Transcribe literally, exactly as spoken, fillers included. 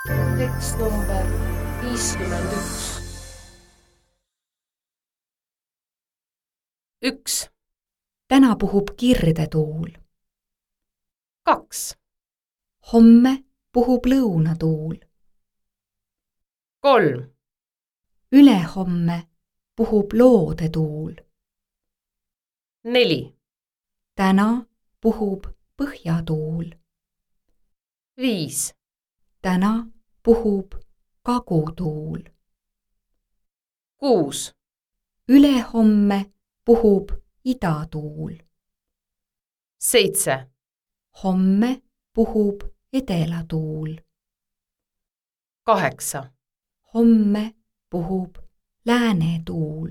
tekst number viiskümmend üks. üks. Täna puhub kirdetuul. kaks. Homme puhub lõunatuul. kolm. Ülehomme puhub loodetuul. neli. Täna puhub põhjatuul. viis. Täna puhub kagutuul. kuus. Ülehomme puhub idatuul. seitse. Homme puhub edelatuul. kaheksa. Homme puhub läänetuul.